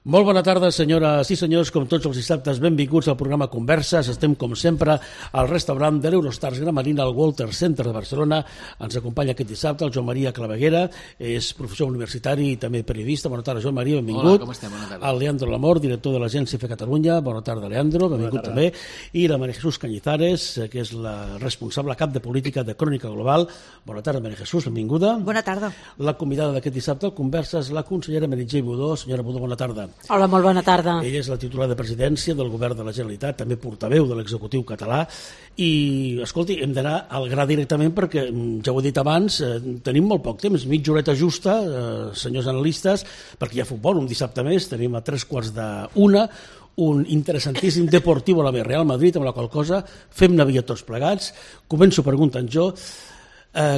Molt bona tarda, senyores i senyors. Com tots els dissabtes, benvinguts al programa Converses. Estem, com sempre, al restaurant de l'Eurostars Gramarina, al Walter Center de Barcelona. Ens acompanya aquest dissabte el Joan Maria Claveguera, és professor universitari i també periodista. Bona tarda, Joan Maria, benvingut. Hola, com estem? Bona tarda. El Leandro Lamor, director de l'Agència Fe Catalunya. Bona tarda, Leandro, benvingut també. I la María Jesús Cañizares, que és la responsable cap de política de Crònica Global. Bona tarda, María Jesús, benvinguda. Bona tarda. La convidada d'aquest dissabte al Converses, la consellera Meritxell Budó. Senyora Budó, bona tarda. Hola, molt bona tarda. Ella és la titular de presidència del govern de la Generalitat, també portaveu de l'executiu català, i, escolti, hem d'anar al gra directament perquè, ja ho he dit abans, tenim molt poc temps, mitja horeta justa, senyors analistes, perquè hi ha futbol un dissabte més, tenim a 3:45, un interessantíssim Deportivo a la Real Madrid, amb la qual cosa fem Navia tots plegats. Començo preguntant jo.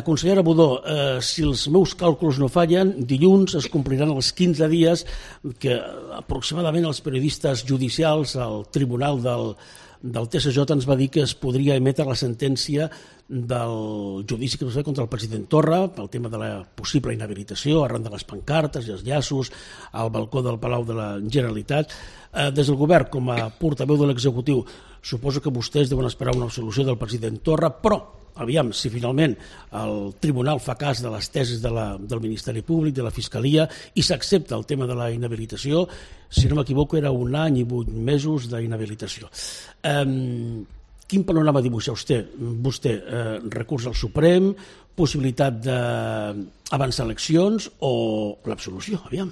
Consellera Budó, si els meus càlculs no fallen, dilluns es compliran els 15 dies que aproximadament els periodistes judicials al tribunal del TSJ ens va dir que es podria emetre la sentència del judici que es va fer contra el president Torra pel tema de la possible inhabilitació arran de les pancartes i els llaços al balcó del Palau de la Generalitat. Des del govern, com a portaveu de l'executiu, suposo que vostès deuen esperar una absolució del president Torra, però aviam, si finalment el tribunal fa cas de les tesis del Ministeri Públic, de la Fiscalia, i s'accepta el tema de la inhabilitació, si no m'equivoco era 1 any i 8 mesos d'inhabilitació. Quin panorama dibuixa vostè? Recurs al Suprem, possibilitat d'avançar eleccions o l'absolució? Aviam.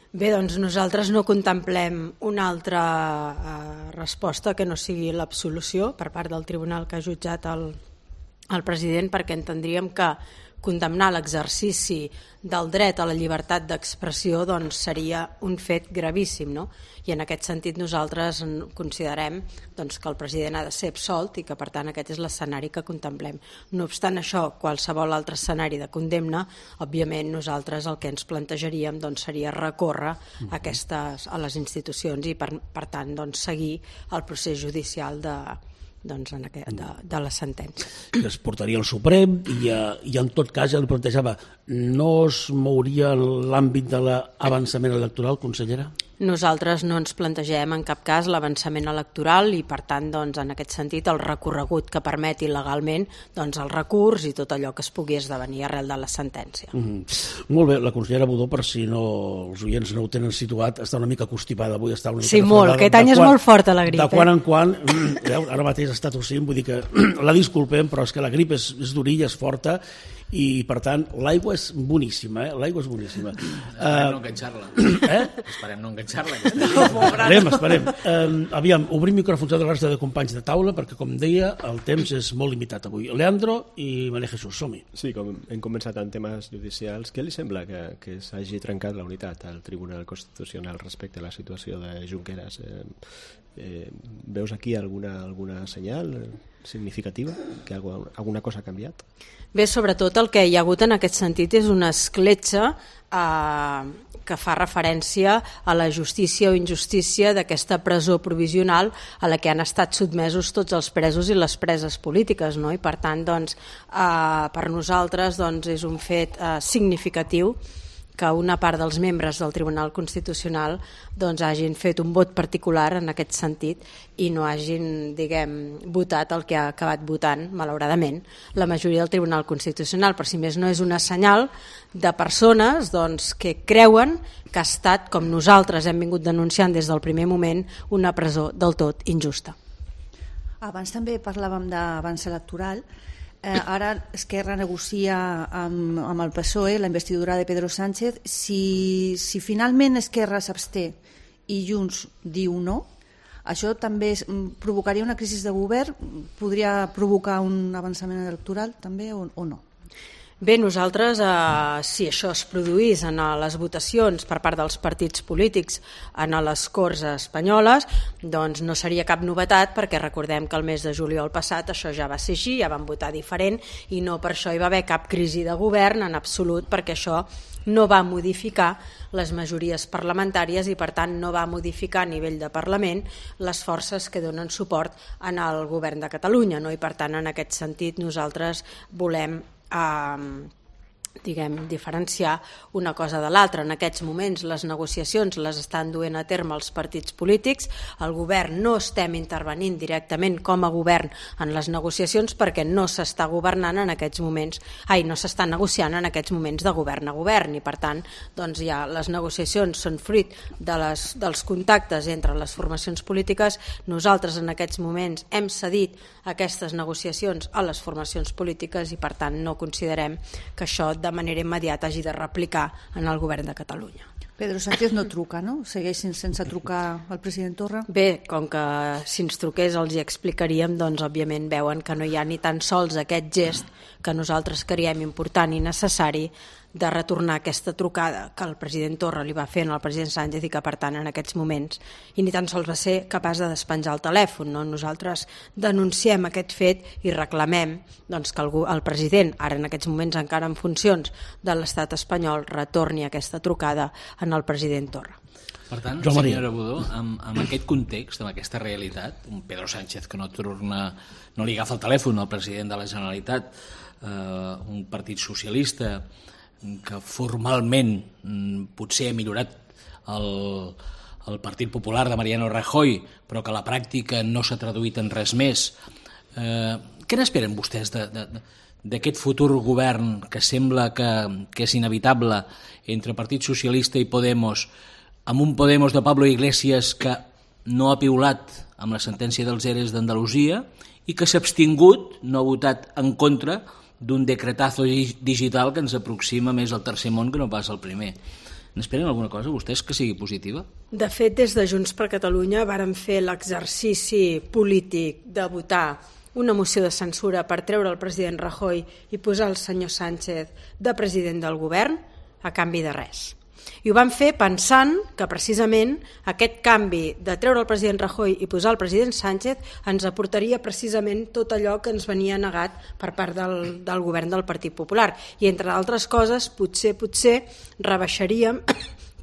Bé, doncs nosaltres no contemplem una altra resposta que no sigui l'absolució per part del tribunal que ha jutjat el president, perquè entendríem que condemnar l'exercici del dret a la llibertat d'expressió doncs, seria un fet gravíssim, no? I en aquest sentit nosaltres considerem doncs, que el president ha de ser absolt i que per tant aquest és l'escenari que contemplem. No obstant això, qualsevol altre escenari de condemna, òbviament nosaltres el que ens plantejaríem doncs, seria recórrer a les institucions i per tant doncs, seguir el procés judicial de la sentència. Que es portaria al Suprem i en tot cas, ja li plantejava, no es mouria l'àmbit de l'avançament electoral, consellera? Nosaltres no ens plantegem en cap cas l'avançament electoral i per tant doncs, en aquest sentit el recorregut que permeti legalment doncs, el recurs i tot allò que es pugui esdevenir arrel de la sentència. Molt bé, la consellera Budó, per si els oients no ho tenen situat, està una mica constipada avui. Sí, molt, aquest any és molt forta la grip. De quan en quan, ara mateix està tossint, vull dir que la disculpem, però és que la grip és durilla, és forta, i per tant l'aigua és boníssima, l'aigua és boníssima. Esperem no enganxar-la. Esperem no enganxar-la. Esperem. Aviam, obrim micròfons a la resta de companys de taula perquè, com deia, el temps és molt limitat avui. Leandro i María Jesús, som-hi. Sí, com hem començat en temes judicials, què li sembla que s'hagi trencat la unitat al Tribunal Constitucional respecte a la situació de Junqueras? Veus aquí alguna senyal significativa? Que alguna cosa ha canviat? Bé, sobretot el que hi ha hagut en aquest sentit és una escletxa que fa referència a la justícia o injustícia d'aquesta presó provisional a la que han estat sotmesos tots els presos i les preses polítiques, no? I per tant, doncs, per nosaltres doncs, és un fet significatiu que una part dels membres del Tribunal Constitucional doncs, hagin fet un vot particular en aquest sentit i no hagin, votat el que ha acabat votant, malauradament, la majoria del Tribunal Constitucional. Per si més no, és una senyal de persones doncs, que creuen que ha estat, com nosaltres hem vingut denunciant des del primer moment, una presó del tot injusta. Abans també parlàvem d'avanç electoral. Ara Esquerra negocia amb el PSOE la investidura de Pedro Sánchez. Si finalment Esquerra s'absté i Junts diu no, això també provocaria una crisi de govern? Podria provocar un avançament electoral també o no? Bé, nosaltres, si això es produís en les votacions per part dels partits polítics en les Corts espanyoles, doncs no seria cap novetat, perquè recordem que el mes de juliol passat això ja va ser així, ja van votar diferent i no per això hi va haver cap crisi de govern en absolut, perquè això no va modificar les majories parlamentàries i per tant no va modificar a nivell de Parlament les forces que donen suport al govern de Catalunya, no? I per tant en aquest sentit nosaltres volem diferenciar una cosa de l'altra. En aquests moments les negociacions les estan duent a terme els partits polítics, el govern no estem intervenint directament com a govern en les negociacions perquè no s'està governant en aquests moments, no s'està negociant en aquests moments de govern a govern, i per tant doncs ja les negociacions són fruit dels contactes entre les formacions polítiques. Nosaltres en aquests moments hem cedit aquestes negociacions a les formacions polítiques i per tant no considerem que això de manera immediata hagi de replicar en el govern de Catalunya. Pedro Sánchez no truca, no? Segueix sense trucar al president Torra? Bé, com que si ens truqués els hi explicaríem, doncs òbviament veuen que no hi ha ni tan sols aquest gest que nosaltres creiem important i necessari de retornar aquesta trucada que el president Torra li va fer al president Sánchez i que per tant en aquests moments i ni tan sols va ser capaç de despenjar el telèfon, no? Nosaltres denunciem aquest fet i reclamem doncs, que el president, ara en aquests moments encara en funcions de l'estat espanyol, retorni aquesta trucada en el president Torra. Per tant, senyora Budó, amb aquest context, amb aquesta realitat, un Pedro Sánchez que no li agafa el telèfon al president de la Generalitat, un partit socialista que formalment potser ha millorat el Partit Popular de Mariano Rajoy, però que a la pràctica no s'ha traduït en res més. Què n'esperen vostès d'aquest futur govern que sembla que és inevitable entre Partit Socialista i Podemos, amb un Podemos de Pablo Iglesias que no ha piulat amb la sentència dels ERES d'Andalusia i que s'ha abstingut, no ha votat en contra d'un decretazo digital que ens aproxima més al tercer món que no pas al primer. N'esperen alguna cosa vostès que sigui positiva? De fet, des de Junts per Catalunya vàrem fer l'exercici polític de votar una moció de censura per treure el president Rajoy i posar el senyor Sánchez de president del govern a canvi de res. I ho vam fer pensant que precisament aquest canvi de treure el president Rajoy i posar el president Sánchez ens aportaria precisament tot allò que ens venia negat per part del govern del Partit Popular. I entre altres coses, potser rebaixaríem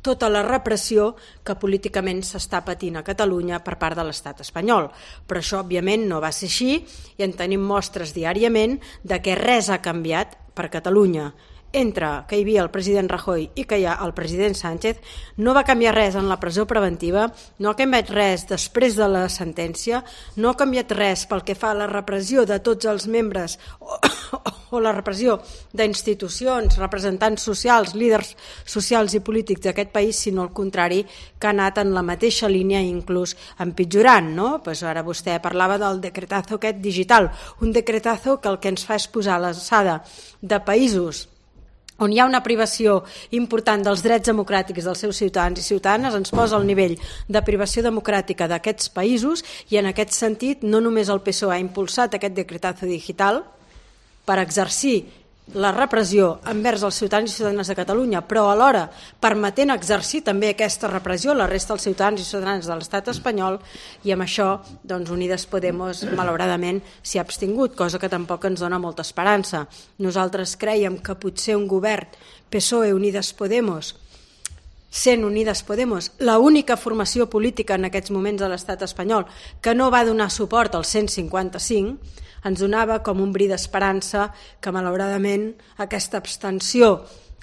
tota la repressió que políticament s'està patint a Catalunya per part de l'estat espanyol. Però això, òbviament, no va ser així i en tenim mostres diàriament de que res ha canviat per Catalunya. Entre que hi havia el president Rajoy i que hi ha el president Sánchez, no va canviar res en la presó preventiva, no ha canviat res després de la sentència, no ha canviat res pel que fa a la repressió de tots els membres o la repressió d'institucions, representants socials, líders socials i polítics d'aquest país, sinó al contrari, que ha anat en la mateixa línia i inclús empitjorant, no? Pues ara vostè parlava del decretazo aquest digital, un decretazo que el que ens fa és posar a l'alçada de països on hi ha una privació important dels drets democràtics dels seus ciutadans i ciutadanes, ens posa al nivell de privació democràtica d'aquests països i en aquest sentit no només el PSOE ha impulsat aquest decretazo digital per exercir la repressió envers els ciutadans i ciutadanes de Catalunya, però alhora permetent exercir també aquesta repressió a la resta dels ciutadans i ciutadanes de l'estat espanyol, i amb això doncs, Unides Podemos malauradament s'hi ha abstingut, cosa que tampoc ens dona molta esperança. Nosaltres creiem que potser un govern PSOE Unides Podemos, sent Unides Podemos l'única formació política en aquests moments a l'estat espanyol que no va donar suport al 155, ens donava com un bri d'esperança que malauradament aquesta abstenció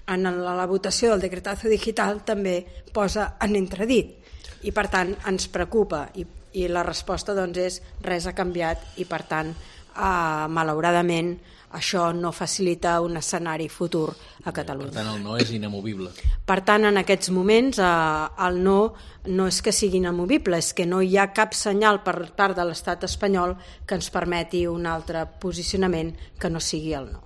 en la votació del decretazo digital també posa en entredit i per tant ens preocupa i la resposta doncs és res ha canviat i per tant malauradament això no facilita un escenari futur a Catalunya. Per tant, el no és inamovible. Per tant, en aquests moments el no és que sigui inamovible, és que no hi ha cap senyal per part de l'estat espanyol que ens permeti un altre posicionament que no sigui el no.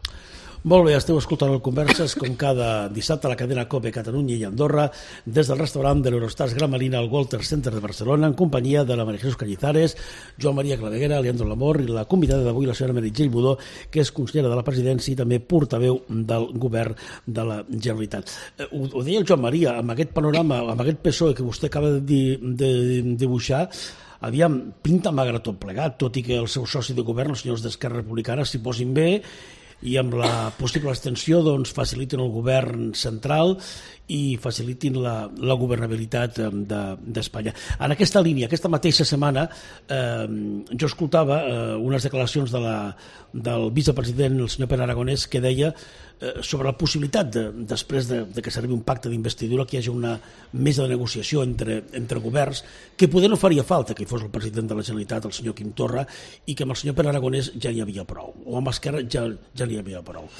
Molt bé, esteu escoltant el Converses com cada dissabte a la cadena COPE Catalunya i Andorra des del restaurant de l'Eurostars Gran Marina al Walter Center de Barcelona en companyia de la María Jesús Cañizares, Joan Maria Claveguera, Leandro Lamor i la convidada d'avui, la senyora Meritxell Budó, que és consellera de la presidència i també portaveu del govern de la Generalitat. Ho deia el Joan Maria, amb aquest panorama, amb aquest PSOE que vostè acaba de dibuixar, aviam, pinta magre tot plegat, tot i que el seu soci de govern, els senyors d'Esquerra Republicana, s'hi posin bé i amb la possible extensió doncs, facilitin el govern central i facilitin la governabilitat d'Espanya. En aquesta línia, aquesta mateixa setmana, jo escoltava unes declaracions del vicepresident, el senyor Pere Aragonès, que deia sobre la possibilitat, després de que s'arribi un pacte d'investidura, que hi hagi una mesa de negociació entre governs, que poder no faria falta que hi fos el president de la Generalitat, el senyor Quim Torra, i que amb el senyor Pere Aragonès ja n'hi havia prou, o amb Esquerra ja n'hi havia prou.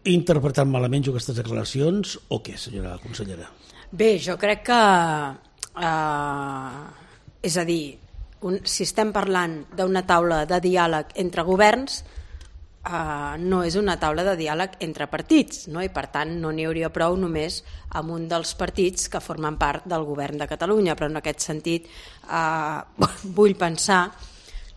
He interpretat malament jo aquestes declaracions o què, senyora consellera? Bé, jo crec que és a dir, si estem parlant d'una taula de diàleg entre governs, no és una taula de diàleg entre partits, no? I per tant no n'hi hauria prou només amb un dels partits que formen part del govern de Catalunya, però en aquest sentit vull pensar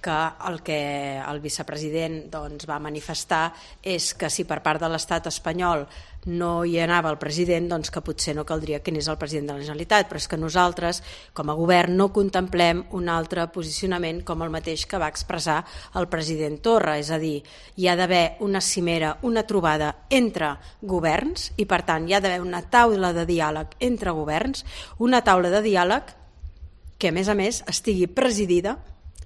que el que el vicepresident doncs, va manifestar és que si per part de l'estat espanyol no hi anava el president, doncs que potser no caldria que anés el president de la Generalitat, però és que nosaltres, com a govern, no contemplem un altre posicionament com el mateix que va expressar el president Torra, és a dir, hi ha d'haver una cimera, una trobada entre governs i, per tant, hi ha d'haver una taula de diàleg entre governs, una taula de diàleg que, a més, estigui presidida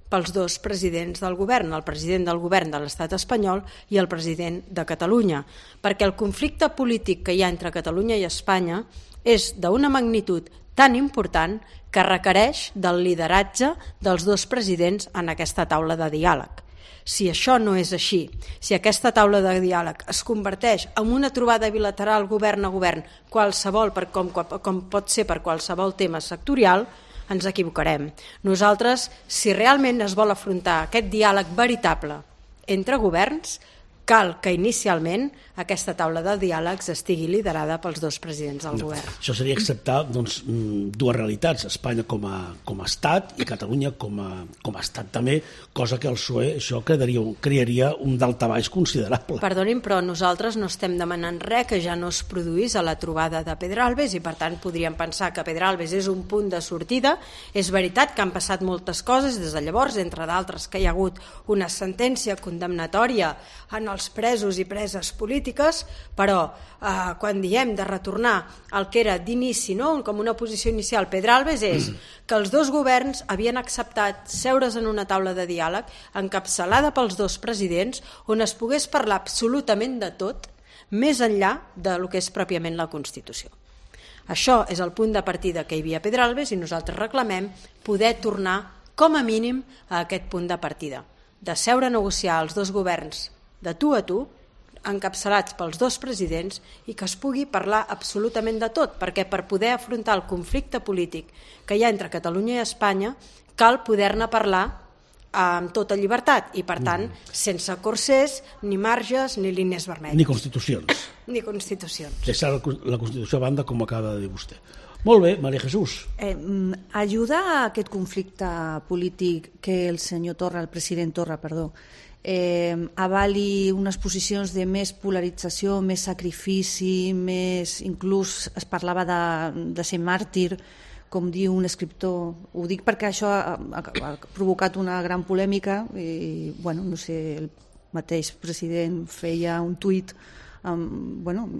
pels dos presidents del govern, el president del govern de l'estat espanyol i el president de Catalunya, perquè el conflicte polític que hi ha entre Catalunya i Espanya és d'una magnitud tan important que requereix del lideratge dels dos presidents en aquesta taula de diàleg. Si això no és així, si aquesta taula de diàleg es converteix en una trobada bilateral govern a govern, qualsevol, com pot ser per qualsevol tema sectorial, ens equivocarem. Nosaltres, si realment es vol afrontar aquest diàleg veritable entre governs, cal que inicialment aquesta taula de diàlegs estigui liderada pels dos presidents del govern. Això seria acceptar doncs, dues realitats, Espanya com a estat i Catalunya com a estat també, cosa que el PSOE això crearia un daltabaix considerable. Perdonin, però nosaltres no estem demanant res que ja no es produís a la trobada de Pedralbes i per tant podríem pensar que Pedralbes és un punt de sortida. És veritat que han passat moltes coses des de llavors, entre d'altres que hi ha hagut una sentència condemnatòria en els presos i preses polítiques, però quan diem de retornar al que era d'inici, no? Com una posició inicial Pedralbes, és que els dos governs havien acceptat seure's en una taula de diàleg encapçalada pels dos presidents on es pogués parlar absolutament de tot, més enllà del que és pròpiament la Constitució. Això és el punt de partida que hi havia a Pedralbes i nosaltres reclamem poder tornar com a mínim a aquest punt de partida, de seure a negociar els dos governs de tu a tu, encapçalats pels dos presidents i que es pugui parlar absolutament de tot, perquè per poder afrontar el conflicte polític que hi ha entre Catalunya i Espanya cal poder-ne parlar amb tota llibertat i, per tant, sense corsers, ni marges, ni línies vermelles. Ni constitucions. Ni constitucions. Deixar la Constitució a banda, com acaba de dir vostè. Molt bé, Maria Jesús. Ajuda a aquest conflicte polític que el senyor Torra, el president Torra, avali unes posicions de més polarització, més sacrifici, més, inclús es parlava de ser màrtir, com diu un escriptor. Ho dic perquè això ha provocat una gran polèmica i, bueno, no sé, el mateix president feia un tuit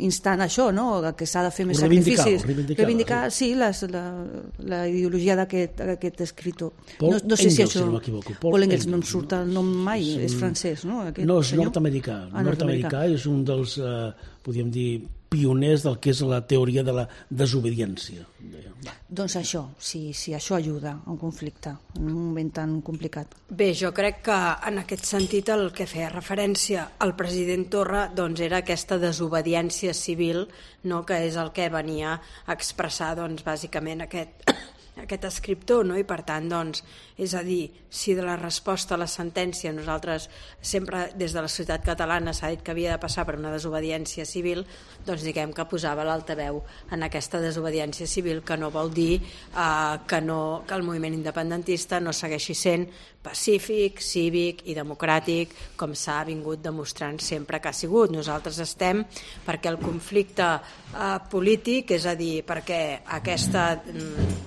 instant això, no? Que s'ha de fer més sacrificis. Reivindicar, sí, la ideologia d'aquest escriptor. No sé si això... Paul Engels, no em surt el nom mai, és francès, no? No, és nord-americà. Nord-americà és un dels, podríem dir, pioners del que és la teoria de la desobediència. Doncs això, si això ajuda a un conflicte en un moment tan complicat. Bé, jo crec que en aquest sentit el que feia referència al president Torra doncs, era aquesta desobediència civil, no? Que és el que venia a expressar doncs, bàsicament aquest escriptor, no? I per tant, doncs, és a dir, si de la resposta a la sentència nosaltres sempre des de la societat catalana s'ha dit que havia de passar per una desobediència civil, doncs diguem que posava l'altaveu en aquesta desobediència civil, que no vol dir que el moviment independentista no segueixi sent pacífic, cívic i democràtic, com s'ha vingut demostrant sempre que ha sigut. Nosaltres estem perquè el conflicte polític, és a dir, perquè aquesta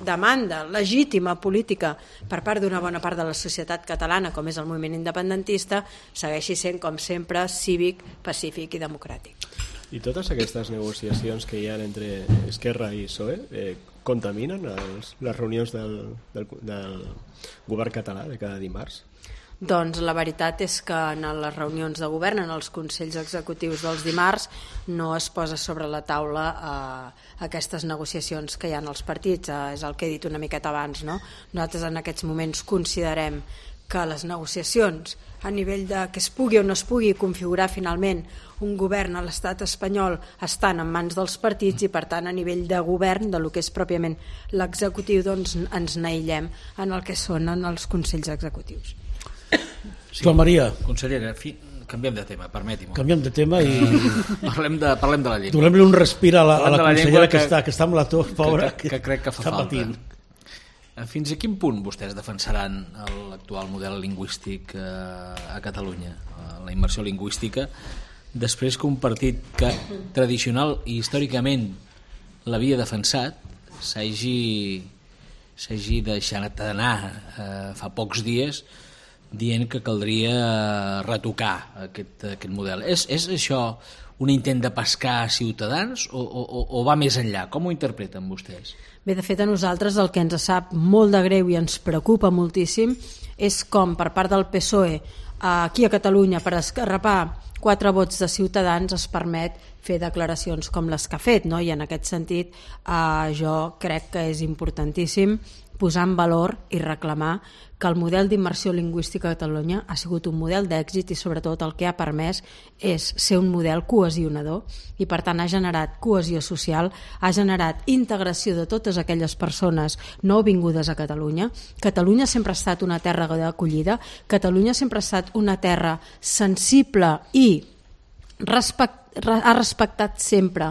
demanda demanda legítima política per part d'una bona part de la societat catalana, com és el moviment independentista, segueixi sent, com sempre, cívic, pacífic i democràtic. I totes aquestes negociacions que hi ha entre Esquerra i PSOE contaminen les reunions del govern català de cada dimarts? Doncs la veritat és que en les reunions de govern, en els consells executius dels dimarts, no es posa sobre la taula aquestes negociacions que hi ha als partits. És el que he dit una miqueta abans, no? Nosaltres en aquests moments considerem que les negociacions a nivell de que es pugui o no es pugui configurar finalment un govern a l'estat espanyol estan en mans dels partits i per tant a nivell de govern, de lo que és pròpiament l'executiu, doncs ens n'aïllem en el que són en els consells executius. Sí. Joan Maria. Consellera, canviem de tema, permeti-m'ho. Canviem de tema i... parlem de la llengua. Donem-li un respir a la consellera que està amb la tos, pobra, que crec que fa falta. Patint. Fins a quin punt vostès defensaran l'actual model lingüístic a Catalunya, la immersió lingüística, després que un partit que tradicional i històricament l'havia defensat s'hagi deixat anar fa pocs dies dient que caldria retocar aquest model. És això un intent de pescar Ciutadans o va més enllà? Com ho interpreten vostès? Bé, de fet, a nosaltres el que ens sap molt de greu i ens preocupa moltíssim és com per part del PSOE aquí a Catalunya per esgarrapar 4 vots de Ciutadans es permet fer declaracions com les que ha fet, no? I en aquest sentit jo crec que és importantíssim posar en valor i reclamar que el model d'immersió lingüística a Catalunya ha sigut un model d'èxit i sobretot el que ha permès és ser un model cohesionador i per tant ha generat cohesió social, ha generat integració de totes aquelles persones nouvingudes a Catalunya. Catalunya sempre ha estat una terra d'acollida, Catalunya sempre ha estat una terra sensible i ha respectat sempre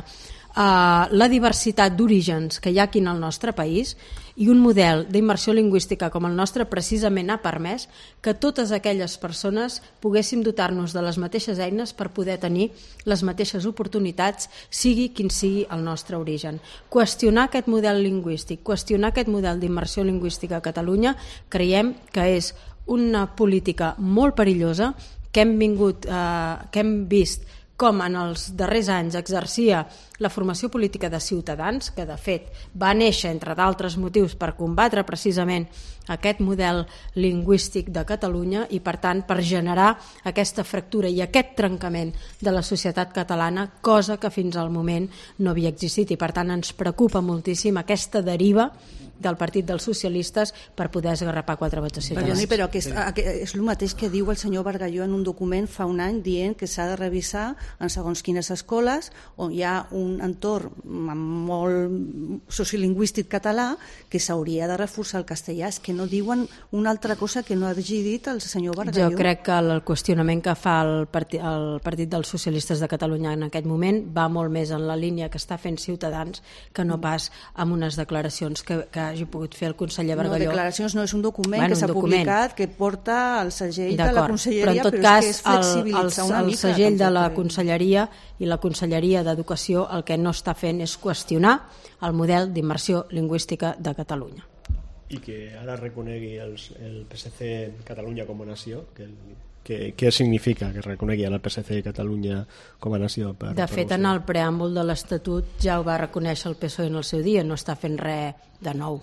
la diversitat d'orígens que hi ha aquí en el nostre país i un model d'immersió lingüística com el nostre precisament ha permès que totes aquelles persones poguéssim dotar-nos de les mateixes eines per poder tenir les mateixes oportunitats, sigui quin sigui el nostre origen. Qüestionar aquest model lingüístic, qüestionar aquest model d'immersió lingüística a Catalunya creiem que és una política molt perillosa que hem vist com en els darrers anys exercia la formació política de Ciutadans, que de fet va néixer, entre d'altres motius, per combatre precisament aquest model lingüístic de Catalunya i, per tant, per generar aquesta fractura i aquest trencament de la societat catalana, cosa que fins al moment no havia existit. I, per tant, ens preocupa moltíssim aquesta deriva del Partit dels Socialistes per poder esgarrapar 4 vots de Ciutadans. Perdoni, però és el mateix que diu el senyor Bargalló en un document fa un any dient que s'ha de revisar en segons quines escoles on hi ha un entorn molt sociolingüístic català que s'hauria de reforçar el castellà. És que no diuen una altra cosa que no hagi dit el senyor Bargalló. Jo crec que el qüestionament que fa el Partit dels Socialistes de Catalunya en aquest moment va molt més en la línia que està fent Ciutadans que no pas amb unes declaracions que hagi pogut fer el conseller Bargalló. No, declaracions no, és un document que s'ha publicat, que porta el segell de la Conselleria, però en tot cas és flexibilitzar una mica. El segell de la Conselleria i la Conselleria d'Educació el que no està fent és qüestionar el model d'immersió lingüística de Catalunya. I que ara reconegui el PSC Catalunya com a nació, què significa que reconegui el PSC Catalunya com a nació? De fet, en el preàmbul de l'Estatut ja ho va reconèixer el PSOE en el seu dia, no està fent res de nou.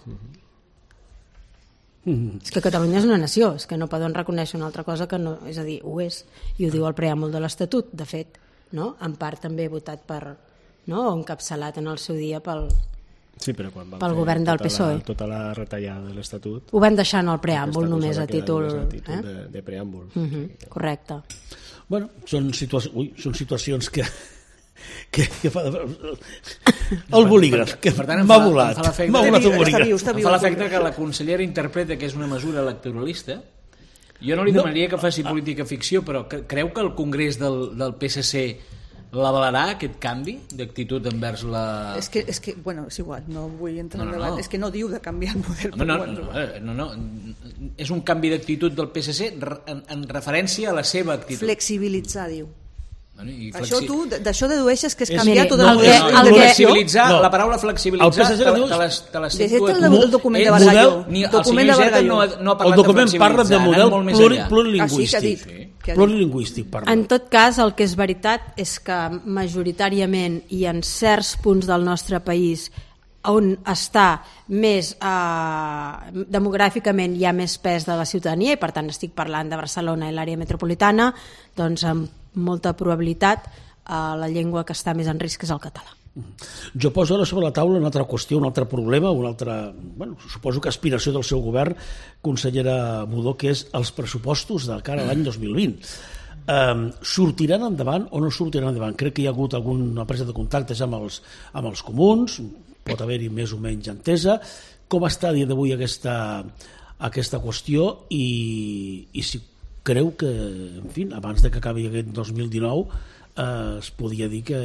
És que Catalunya és una nació, és que no poden reconèixer una altra cosa que no, és a dir, ho és, i ho diu el preàmbul de l'Estatut, de fet, no? En part també votat per, no? O encapçalat en el seu dia pel govern del PSOE. Tota la retallada de l'Estatut. Ho van deixar en el preàmbul només a títol de preàmbul. Correcte. Bueno, són situacions que el bolígraf que m'ha volat el bolígraf. Em fa l'efecte que la consellera interpreta que és una mesura electoralista. Jo no li demanaria que faci política ficció, però creu que el Congrés del PSC l'avalarà, aquest canvi d'actitud envers la... És que, bueno, és igual, no vull entrar en debat. És que no diu de canviar el model. No. És un canvi d'actitud del PSC en referència a la seva actitud. Flexibilitzar, diu. Això tu, d'això dedueixes que és canviar tot el model. Flexibilitzar, la paraula flexibilitzar te la sento el document de Bargalló. El senyor Iceta no ha parlat de document parla de model plurilingüístic. Plurilingüístic. En tot cas, el que és veritat és que majoritàriament i en certs punts del nostre país on està més demogràficament hi ha més pes de la ciutadania i per tant estic parlant de Barcelona i l'àrea metropolitana, doncs amb molta probabilitat la llengua que està més en risc és el català. Jo poso ara sobre la taula una altra qüestió, un altre problema, suposo que aspiració del seu govern, consellera Budó, que és els pressupostos de cara a l'any 2020. Sortiran endavant o no sortiran endavant? Crec que hi ha hagut alguna presa de contactes amb els comuns, pot haver-hi més o menys entesa. Com està a dia d'avui aquesta qüestió i si creu que, en fi, abans de que acabi aquest 2019 es podia dir que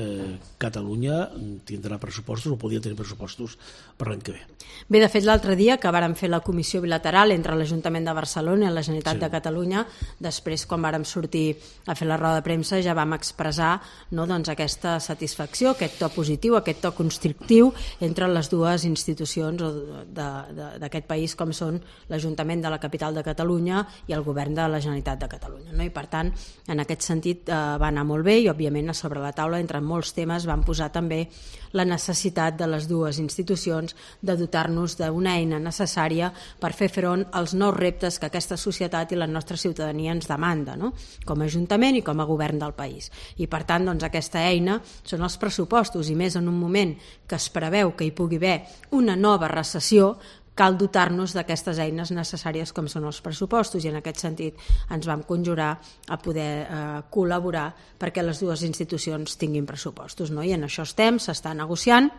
Catalunya tindrà pressupostos o podia tenir pressupostos per l'any que ve. Bé, de fet, l'altre dia que vàrem fer la comissió bilateral entre l'Ajuntament de Barcelona i la Generalitat de Catalunya, després, quan vàrem sortir a fer la roda de premsa, ja vam expressar aquesta satisfacció, aquest to positiu, aquest to constructiu entre les dues institucions d'aquest país, com són l'Ajuntament de la capital de Catalunya i el Govern de la Generalitat de Catalunya. I, per tant, en aquest sentit va anar molt bé i, òbviament, a sobre la taula, entre molts temes, van posar també la necessitat de les dues institucions de dotar-nos d'una eina necessària per fer front als nous reptes que aquesta societat i la nostra ciutadania ens demanda, com a Ajuntament i com a Govern del país. I, per tant, aquesta eina són els pressupostos, i més en un moment que es preveu que hi pugui haver una nova recessió, cal dotar-nos d'aquestes eines necessàries com són els pressupostos, i en aquest sentit ens vam conjurar a poder col·laborar perquè les dues institucions tinguin pressupostos, i en això s'està negociant,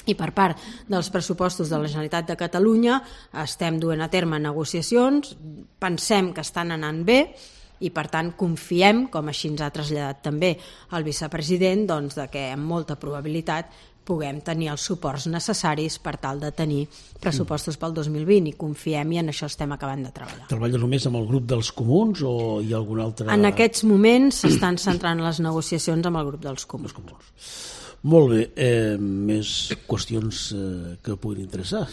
i per part dels pressupostos de la Generalitat de Catalunya estem duent a terme negociacions, pensem que estan anant bé i, per tant, confiem, com així ens ha traslladat també el vicepresident, de que amb molta probabilitat puguem tenir els suports necessaris per tal de tenir pressupostos pel 2020, i confiem, i en això estem acabant de treballar. Treballa només amb el grup dels comuns o hi ha algun altre? En aquests moments s'estan centrant les negociacions amb el grup dels comuns. Molt bé, més qüestions que puguin interessar.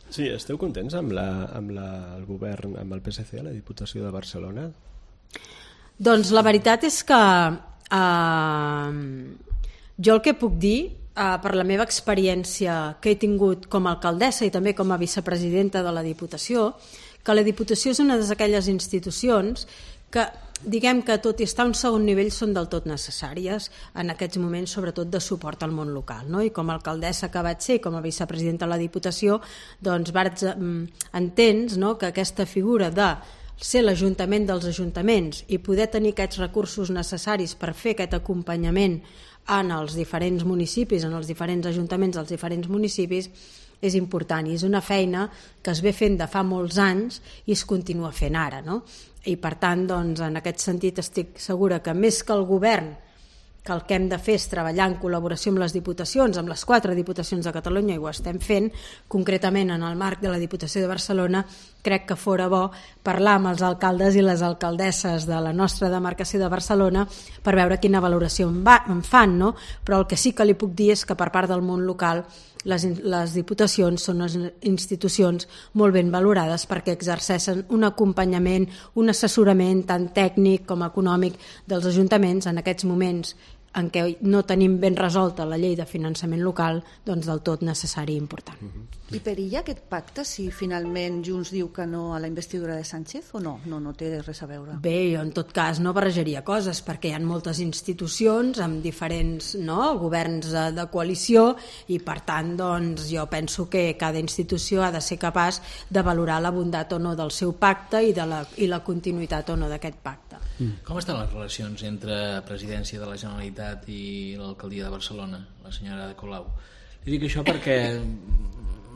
Sí, esteu contents amb el govern, amb el PSC a la Diputació de Barcelona? Doncs la veritat és que jo el que puc dir, per la meva experiència que he tingut com a alcaldessa i també com a vicepresidenta de la Diputació, que la Diputació és una d'aquelles institucions que, diguem que tot i estar a un segon nivell, són del tot necessàries en aquests moments, sobretot de suport al món local. I com a alcaldessa que vaig ser, com a vicepresidenta de la Diputació, doncs entens que aquesta figura de ser l'Ajuntament dels ajuntaments i poder tenir aquests recursos necessaris per fer aquest acompanyament en els diferents municipis, en els diferents ajuntaments dels diferents municipis, és important, i és una feina que es ve fent de fa molts anys i es continua fent ara, I, per tant, en aquest sentit estic segura que més que el govern, que el que hem de fer és treballar en col·laboració amb les diputacions, amb les 4 diputacions de Catalunya, i ho estem fent, concretament en el marc de la Diputació de Barcelona, crec que fora bo parlar amb els alcaldes i les alcaldesses de la nostra demarcació de Barcelona per veure quina valoració en fan, Però el que sí que li puc dir és que per part del món local les diputacions són unes institucions molt ben valorades perquè exerceixen un acompanyament, un assessorament tant tècnic com econòmic dels ajuntaments en aquests moments en què no tenim ben resolta la llei de finançament local, doncs del tot necessari i important. I perilla aquest pacte si finalment Junts diu que no a la investidura de Sánchez o no? No té res a veure. Bé, jo en tot cas no barrejaria coses perquè hi ha moltes institucions amb diferents governs de coalició i per tant doncs, jo penso que cada institució ha de ser capaç de valorar la bondat o no del seu pacte i la continuïtat o no d'aquest pacte. Com estan les relacions entre Presidència de la Generalitat i l'alcaldia de Barcelona, la senyora de Colau? Li dic això perquè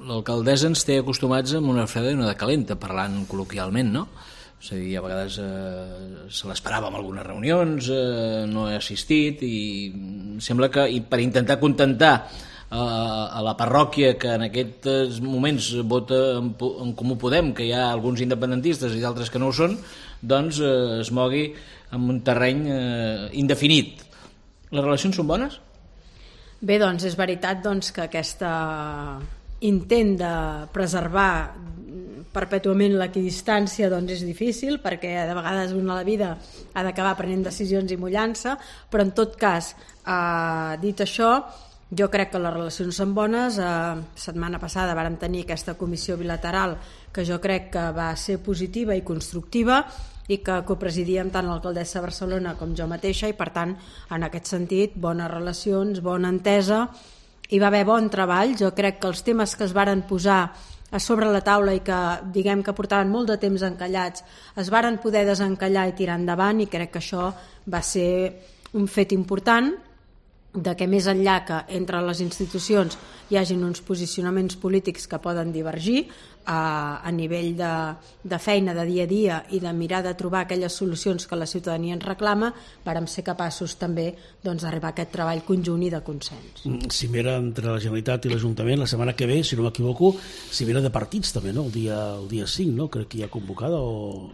l'alcaldessa ens té acostumats amb una freda i una de calenta, parlant col·loquialment, És a dir, a vegades se l'esperava en algunes reunions, no he assistit i sembla que per intentar contentar a la parròquia que en aquests moments vota en Comú Podem, que hi ha alguns independentistes i d'altres que no ho són, doncs es mogui en un terreny indefinit. Les relacions són bones? Bé, doncs és veritat que aquest intent de preservar perpètuament l'equidistància és difícil, perquè de vegades una a la vida ha d'acabar prenent decisions i mullant-se, però en tot cas, dit això, jo crec que les relacions són bones. Setmana passada vàrem tenir aquesta comissió bilateral que jo crec que va ser positiva i constructiva i que copresidíem tant l'alcaldessa de Barcelona com jo mateixa, i per tant, en aquest sentit, bones relacions, bona entesa, hi va haver bon treball. Jo crec que els temes que es varen posar a sobre la taula i que diguem que portaven molt de temps encallats es varen poder desencallar i tirar endavant, i crec que això va ser un fet important, de que més enllà que entre les institucions hi hagin uns posicionaments polítics que poden divergir a nivell de feina de dia a dia i de mirar de trobar aquelles solucions que la ciutadania ens reclama, vàrem ser capaços també d'arribar a aquest treball conjunt i de consens. Cimera entre la Generalitat i l'Ajuntament la setmana que ve, si no m'equivoco, cimera de partits també, no? El dia 5, no? Crec que hi ha convocada o...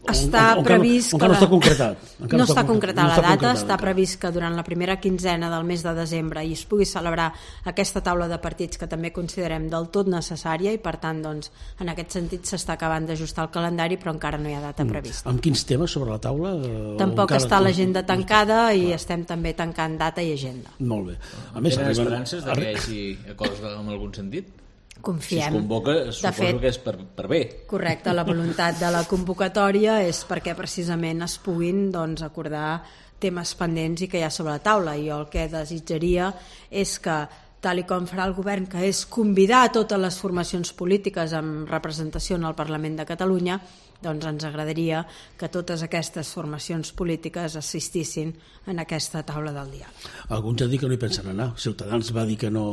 Està previst que no està concretat. No està concretada la data, està previst que durant la primera quinzena del mes de desembre hi es pugui celebrar aquesta taula de partits que també considerem del tot necessària, i per tant en aquest sentit s'està acabant d'ajustar el calendari, però encara no hi ha data prevista. Amb quins temes sobre la taula? Tampoc està l'agenda tancada i estem també tancant data i agenda. Molt bé. A més, tenen esperances que hi hagi acords en algun sentit? Confiem. Si es convoca, suposo que és per bé. Correcte, la voluntat de la convocatòria és perquè precisament es puguin acordar temes pendents i que hi ha sobre la taula. I jo el que desitjaria és que, tal i com farà el govern, que és convidar a totes les formacions polítiques amb representació en el Parlament de Catalunya, doncs ens agradaria que totes aquestes formacions polítiques assistissin en aquesta taula del diàleg. Alguns han dit que no hi pensen anar. Ciutadans va dir que no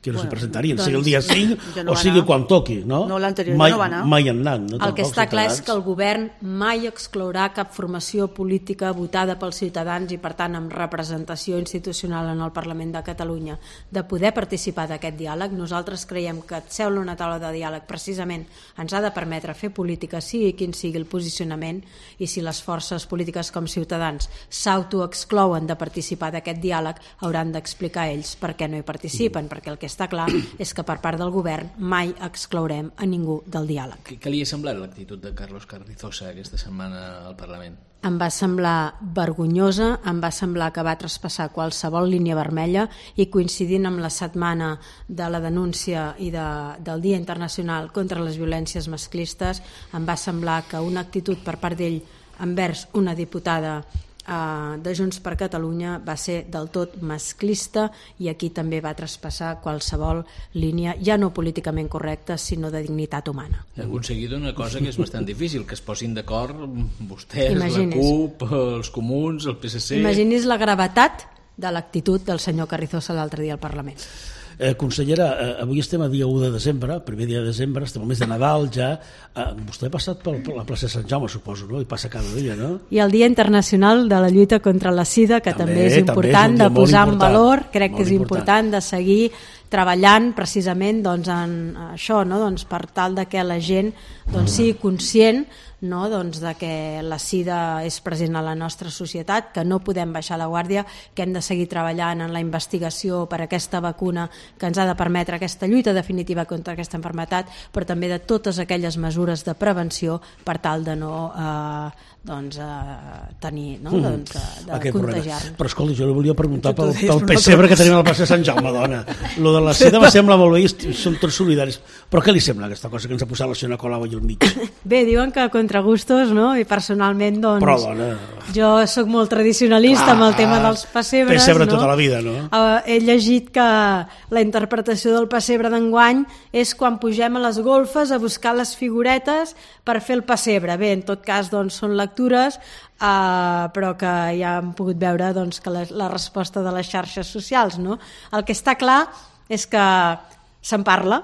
s'hi presentarien, sigui el dia 5 o sigui quan toqui, no? No, l'anterior no va anar. Mai han anat. El que està clar és que el govern mai exclourà cap formació política votada pels ciutadans i per tant amb representació institucional en el Parlament de Catalunya de poder participar d'aquest diàleg. Nosaltres creiem que seure a una taula de diàleg precisament ens ha de permetre fer política, sigui quin sigui el posicionament, i si les forces polítiques com Ciutadans s'autoexclouen de participar d'aquest diàleg, hauran d'explicar ells per què no hi participen, perquè el que està clar és que per part del govern mai exclourem a ningú del diàleg. Què li ha semblat l'actitud de Carlos Carrizosa aquesta setmana al Parlament? Em va semblar vergonyosa, em va semblar que va traspassar qualsevol línia vermella, i coincidint amb la setmana de la denúncia i del Dia Internacional contra les Violències Masclistes, em va semblar que una actitud per part d'ell envers una diputada de Junts per Catalunya va ser del tot masclista, i aquí també va traspassar qualsevol línia, ja no políticament correcta, sinó de dignitat humana. Ha aconseguit una cosa que és bastant difícil, que es posin d'acord vostès, la CUP, els Comuns, el PSC... Imagini's la gravetat de l'actitud del senyor Carrizosa l'altre dia al Parlament. Consellera, avui estem a dia 1 de desembre, primer dia de desembre, estem al mes de Nadal ja. Vostè ha passat per la plaça de Sant Jaume, suposo, no? I passa cada dia, no? I el Dia Internacional de la Lluita contra la Sida, que també és important de posar en valor. Crec que és important de seguir treballant precisament en això, per tal de que la gent sigui conscient de que la sida és present a la nostra societat, que no podem baixar la guàrdia, que hem de seguir treballant en la investigació per aquesta vacuna que ens ha de permetre aquesta lluita definitiva contra aquesta malaltia, però també de totes aquelles mesures de prevenció per tal de no tenir, de contagiar-nos. Però escolta, jo li volia preguntar pel pessebre que tenim a la plaça de Sant Jaume, dona. Lo de la sida me sembla molt bé, som tots solidaris, però què li sembla aquesta cosa que ens ha posat la senyora Colau allà al mig? Bé, diuen que contra gustos, no? I personalment, però, dona, jo sóc molt tradicionalista amb el tema dels pessebres. Pessebre tota la vida, no? He llegit que la interpretació del pessebre d'enguany és quan pugem a les golfes a buscar les figuretes per fer el pessebre. Bé, en tot cas, són lectures, però que ja hem pogut veure que la resposta de les xarxes socials, no? El que està clar és que se'n parla,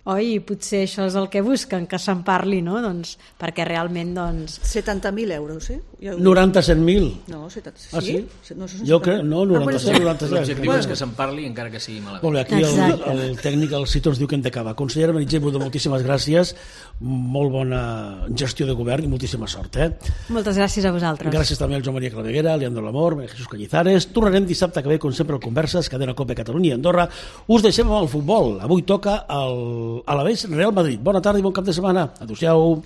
oi? I potser això és el que busquen, que se'n parli, no? Doncs, perquè realment... 70.000 euros, eh? 90-100.000. No, 70... Ah, sí? No, jo crec, no, 90-100. L'objectiu és que se'n parli encara que sigui malament. Molt bé, aquí el tècnic, el Cito, ens diu que hem d'acabar. Consellera Meritxell Budó, moltíssimes gràcies, molt bona gestió de govern i moltíssima sort. Moltes gràcies a vosaltres. Gràcies també al Joan Maria Claveguera, Leandro Lamor, Jesús Cañizares. Tornarem dissabte que ve, com sempre, al Converses, Cadena COPE Catalunya i Andorra. Us deixem amb el futbol. Avui toca a l'Alavés Real Madrid. Bona tarda i bon cap de setmana. Adéu-siau.